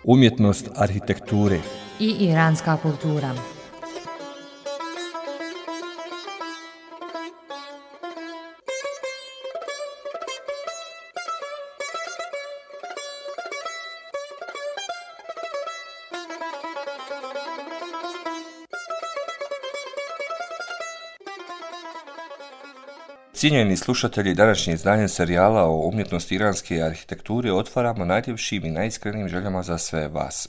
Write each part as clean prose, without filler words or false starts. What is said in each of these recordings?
Umjetnost arhitekture i iranska kultura. Cijenjeni slušatelji, današnje izdanje serijala o umjetnosti iranske arhitekture otvaramo najljepšim i najiskrenijim željama za sve vas.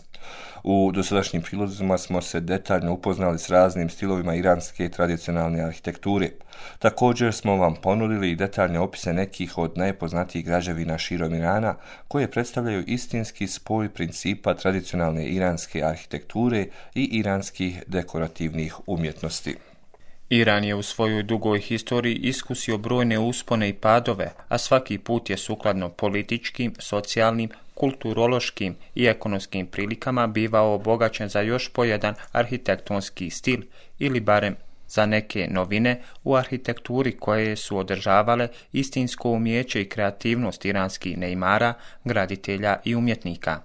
U dosadašnjim prilozima smo se detaljno upoznali s raznim stilovima iranske tradicionalne arhitekture. Također smo vam ponudili i detaljne opise nekih od najpoznatijih građevina širom Irana, koje predstavljaju istinski spoj principa tradicionalne iranske arhitekture i iranskih dekorativnih umjetnosti. Iran je u svojoj dugoj historiji iskusio brojne uspone i padove, a svaki put je sukladno političkim, socijalnim, kulturološkim i ekonomskim prilikama bivao obogaćen za još po jedan arhitektonski stil ili barem za neke novine u arhitekturi koje su održavale istinsko umijeće i kreativnost iranskih neimara, graditelja i umjetnika.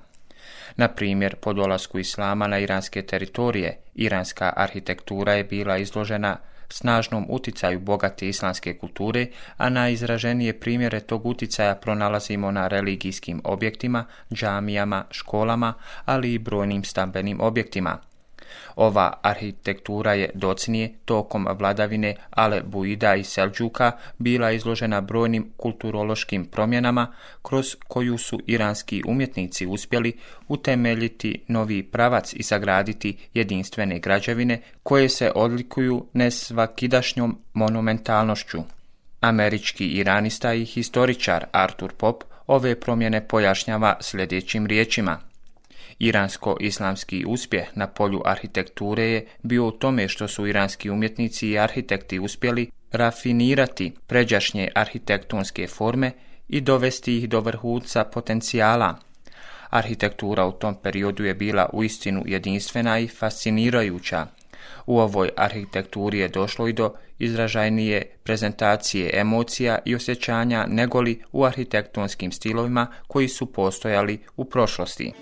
Na primjer, po dolasku islama na iranske teritorije, iranska arhitektura je bila izložena snažnom uticaju bogate islamske kulture, a najizraženije primjere tog uticaja pronalazimo na religijskim objektima, džamijama, školama, ali i brojnim stambenim objektima. Ova arhitektura je docnije tokom vladavine Alebuida i Selđuka bila izložena brojnim kulturološkim promjenama kroz koju su iranski umjetnici uspjeli utemeljiti novi pravac i sagraditi jedinstvene građevine koje se odlikuju nesvakidašnjom monumentalnošću. Američki iranista i historičar Arthur Pop ove promjene pojašnjava sljedećim riječima. Iransko-islamski uspjeh na polju arhitekture je bio u tome što su iranski umjetnici i arhitekti uspjeli rafinirati pređašnje arhitektonske forme i dovesti ih do vrhunca potencijala. Arhitektura u tom periodu je bila uistinu jedinstvena i fascinirajuća. U ovoj arhitekturi je došlo i do izražajnije prezentacije emocija i osjećanja negoli u arhitektonskim stilovima koji su postojali u prošlosti.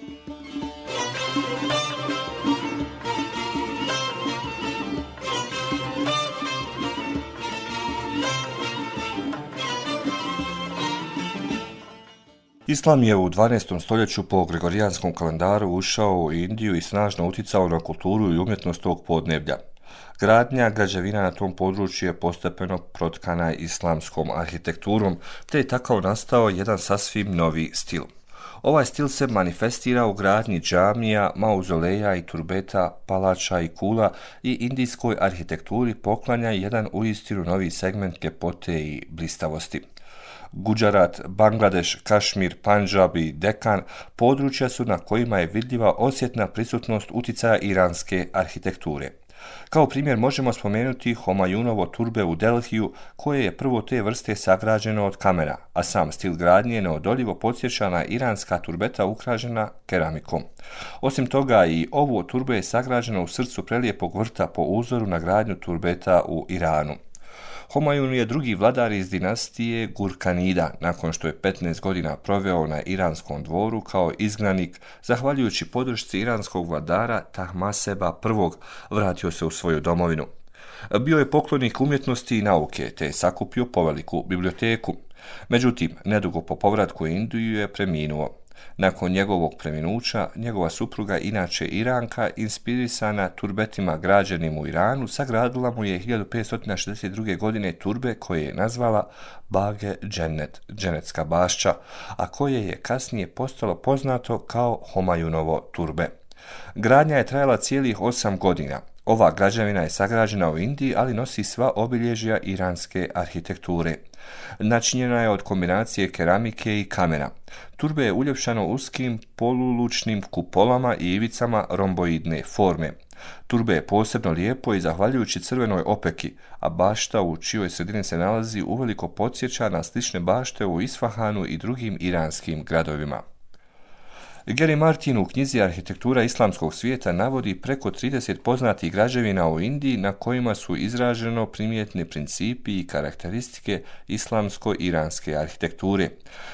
Islam je u 12. stoljeću po gregorijanskom kalendaru ušao u Indiju i snažno uticao na kulturu i umjetnost tog podneblja. Gradnja građevina na tom području je postepeno protkana islamskom arhitekturom, te je tako nastao jedan sasvim novi stil. Ovaj stil se manifestira u gradnji džamija, mauzoleja i turbeta, palača i kula i indijskoj arhitekturi poklanja jedan uistinu novi segment ljepote i blistavosti. Guđarat, Bangladeš, Kašmir, Pandžab i Dekan područja su na kojima je vidljiva osjetna prisutnost uticaja iranske arhitekture. Kao primjer možemo spomenuti Homajunovo turbe u Delhiju, koje je prvo te vrste sagrađeno od kamena, a sam stil gradnje neodoljivo podsjeća na iranska turbeta ukrašena keramikom. Osim toga, i ovo turbe je sagrađeno u srcu prelijepog vrta po uzoru na gradnju turbeta u Iranu. Homajun je drugi vladar iz dinastije Gurkanida, nakon što je 15 godina proveo na iranskom dvoru kao izgnanik, zahvaljujući podršci iranskog vladara Tahmaseba I, vratio se u svoju domovinu. Bio je poklonik umjetnosti i nauke, te je sakupio poveliku biblioteku. Međutim, nedugo po povratku u Indiju je preminuo. Nakon njegovog preminuća, njegova supruga, inače Iranka, inspirisana turbetima građenim u Iranu, sagradila mu je 1562. godine turbe koje je nazvala Bage Džennet, Dženetska bašća, a koje je kasnije postalo poznato kao Homajunovo turbe. Gradnja je trajala cijelih 8 godina. Ova građevina je sagrađena u Indiji, ali nosi sva obilježja iranske arhitekture. Načinjena je od kombinacije keramike i kamena. Turbe je uljepšano uskim polulučnim kupolama i ivicama romboidne forme. Turbe je posebno lijepo i zahvaljujući crvenoj opeki, a bašta u čijoj sredini se nalazi uveliko podsjeća na slične bašte u Isfahanu i drugim iranskim gradovima. Gary Martin u knjizi Arhitektura islamskog svijeta navodi preko 30 poznatih građevina u Indiji na kojima su izraženo primjetni principi i karakteristike islamsko-iranske arhitekture.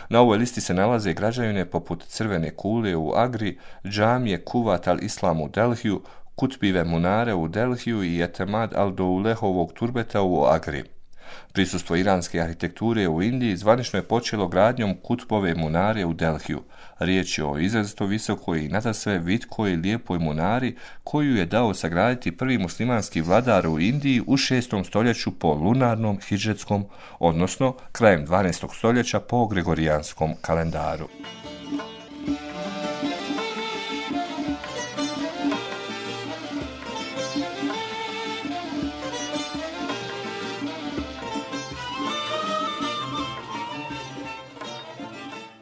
Na ovoj listi se nalaze građevine poput Crvene kule u Agri, džamije Kuvat al-Islam u Delhiju, Kutbive munare u Delhiju i Etemad al-Doulehovog turbeta u Agri. Prisustvo iranske arhitekture u Indiji zvanično je počelo gradnjom Kutbove munare u Delhiju. Riječ je o izrazito visokoj i nadasve vitkoj i lijepoj munari koju je dao sagraditi prvi muslimanski vladar u Indiji u 6. stoljeću po lunarnom hidžretskom, odnosno krajem 12. stoljeća po gregorijanskom kalendaru.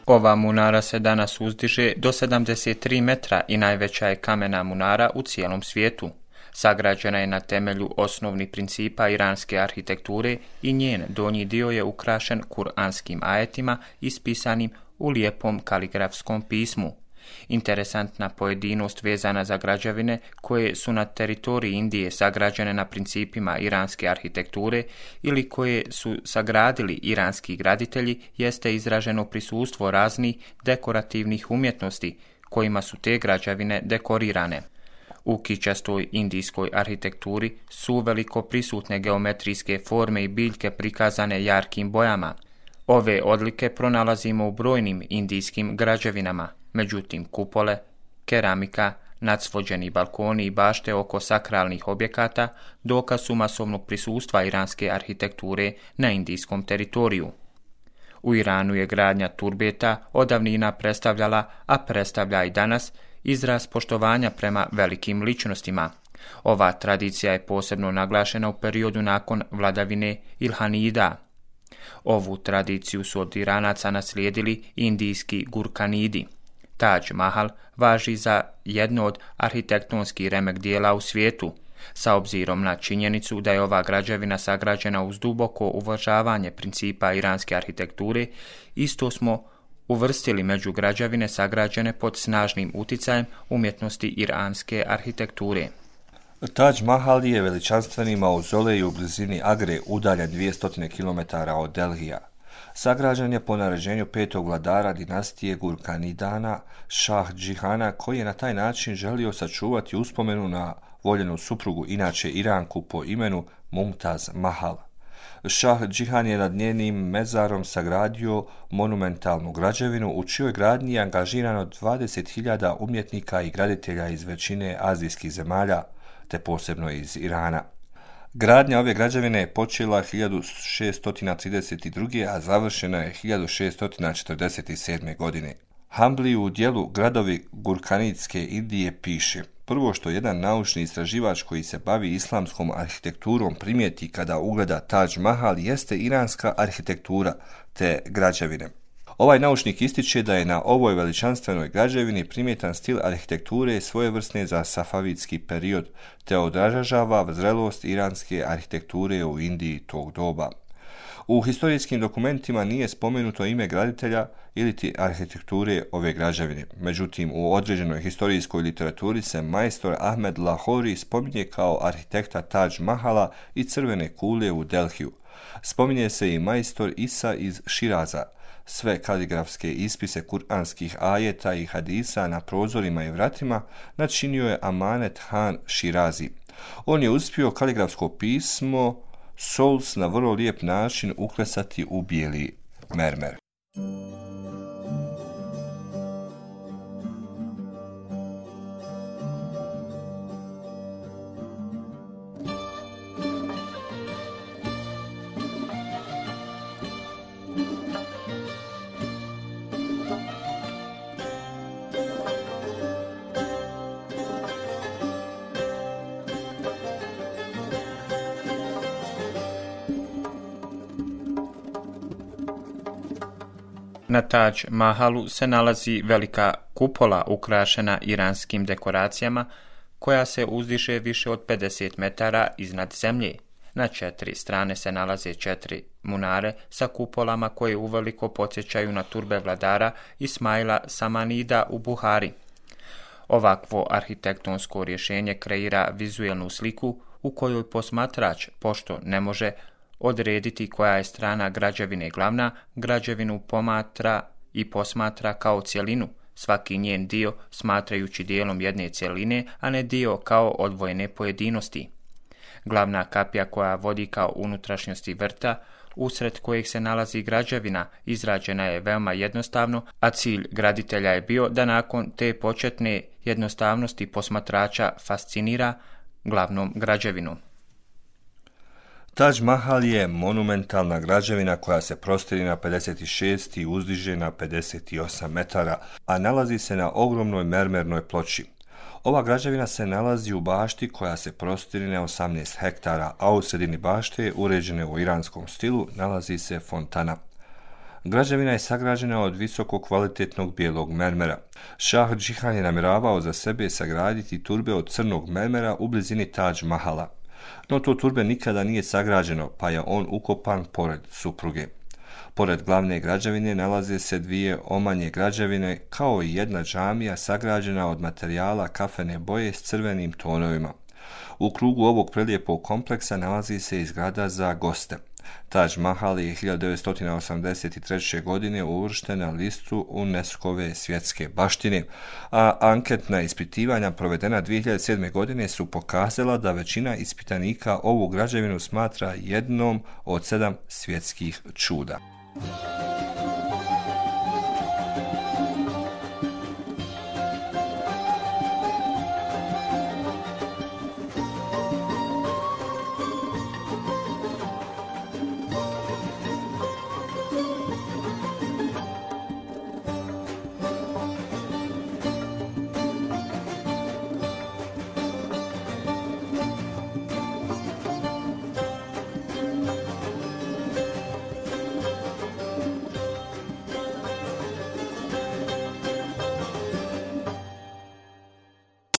Ova munara se danas uzdiže do 73 metra i najveća je kamena munara u cijelom svijetu. Sagrađena je na temelju osnovnih principa iranske arhitekture i njen donji dio je ukrašen kuranskim ajetima ispisanim u lijepom kaligrafskom pismu. Interesantna pojedinost vezana za građevine koje su na teritoriji Indije sagrađene na principima iranske arhitekture ili koje su sagradili iranski graditelji jeste izraženo prisustvo raznih dekorativnih umjetnosti kojima su te građevine dekorirane. U kičastoj indijskoj arhitekturi su veliko prisutne geometrijske forme i biljke prikazane jarkim bojama. Ove odlike pronalazimo u brojnim indijskim građevinama. Međutim, kupole, keramika, nadsvođeni balkoni i bašte oko sakralnih objekata dokaz su masovnog prisustva iranske arhitekture na indijskom teritoriju. U Iranu je gradnja turbeta odavnina predstavljala, a predstavlja i danas, izraz poštovanja prema velikim ličnostima. Ova tradicija je posebno naglašena u periodu nakon vladavine Ilhanida. Ovu tradiciju su od Iranaca naslijedili indijski Gurkanidi. Taj Mahal važi za jedno od arhitektonskih remek dijela u svijetu, sa obzirom na činjenicu da je ova građevina sagrađena uz duboko uvažavanje principa iranske arhitekture, isto smo uvrstili među građevine sagrađene pod snažnim uticajem umjetnosti iranske arhitekture. Taj Mahal je veličanstveni mauzolej u blizini Agre, udaljen 200 km od Delhija. Sagrađen je po naređenju 5. vladara dinastije Gurkanidana, Šah Džihana, koji je na taj način želio sačuvati uspomenu na voljenu suprugu, inače Iranku po imenu Mumtaz Mahal. Šah Džihan je nad njenim mezarom sagradio monumentalnu građevinu u čijoj gradnji je angažirano 20.000 umjetnika i graditelja iz većine azijskih zemalja, te posebno iz Irana. Gradnja ove građevine je počela 1632. a završena je 1647. godine. Hambli u dijelu Gradovi Gurkanidske Indije piše: prvo što jedan naučni istraživač koji se bavi islamskom arhitekturom primijeti kada ugleda Taj Mahal jeste iranska arhitektura te građevine. Ovaj naučnik ističe da je na ovoj veličanstvenoj građevini primjetan stil arhitekture svojevrsne za safavitski period, te odražava zrelost iranske arhitekture u Indiji tog doba. U historijskim dokumentima nije spomenuto ime graditelja ili ti arhitekture ove građevine. Međutim, u određenoj historijskoj literaturi se majstor Ahmed Lahori spominje kao arhitekta Taj Mahala i Crvene kule u Delhiju. Spominje se i majstor Isa iz Širaza. Sve kaligrafske ispise kuranskih ajeta i hadisa na prozorima i vratima načinio je Amanet Han Širazi. On je uspio kaligrafsko pismo Souls na vrlo lijep način uklesati u bijeli mermer. Na Taj Mahalu se nalazi velika kupola ukrašena iranskim dekoracijama koja se uzdiše više od 50 metara iznad zemlje. Na 4 strane se nalaze 4 munare sa kupolama koje uveliko podsjećaju na turbe vladara Ismaila Samanida u Buhari. Ovakvo arhitektonsko rješenje kreira vizuelnu sliku u kojoj posmatrač, pošto ne može odrediti koja je strana građevine glavna, građevinu pomatra i posmatra kao cjelinu, svaki njen dio smatrajući dijelom jedne cjeline, a ne dio kao odvojene pojedinosti. Glavna kapija koja vodi kao unutrašnjosti vrta, usred kojeg se nalazi građevina, izrađena je veoma jednostavno, a cilj graditelja je bio da nakon te početne jednostavnosti posmatrača fascinira glavnom građevinom. Taj Mahal je monumentalna građevina koja se prostire na 56 i uzdiže na 58 metara, a nalazi se na ogromnoj mermernoj ploči. Ova građevina se nalazi u bašti koja se prostire na 18 hektara, a u sredini bašte, uređene u iranskom stilu, nalazi se fontana. Građevina je sagrađena od visoko kvalitetnog bijelog mermera. Šah Džihan je namjeravao za sebe sagraditi turbe od crnog mermera u blizini Taj Mahala. No to turbe nikada nije sagrađeno, pa je on ukopan pored supruge. Pored glavne građevine nalaze se 2 omanje građevine kao i jedna džamija sagrađena od materijala kafene boje s crvenim tonovima. U krugu ovog prelijepog kompleksa nalazi se i zgrada za goste. Taj Mahal je 1983. godine uvršten na listu UNESCO-ve svjetske baštine, a anketna ispitivanja provedena 2007. godine su pokazala da većina ispitanika ovu građevinu smatra jednom od 7 svjetskih čuda.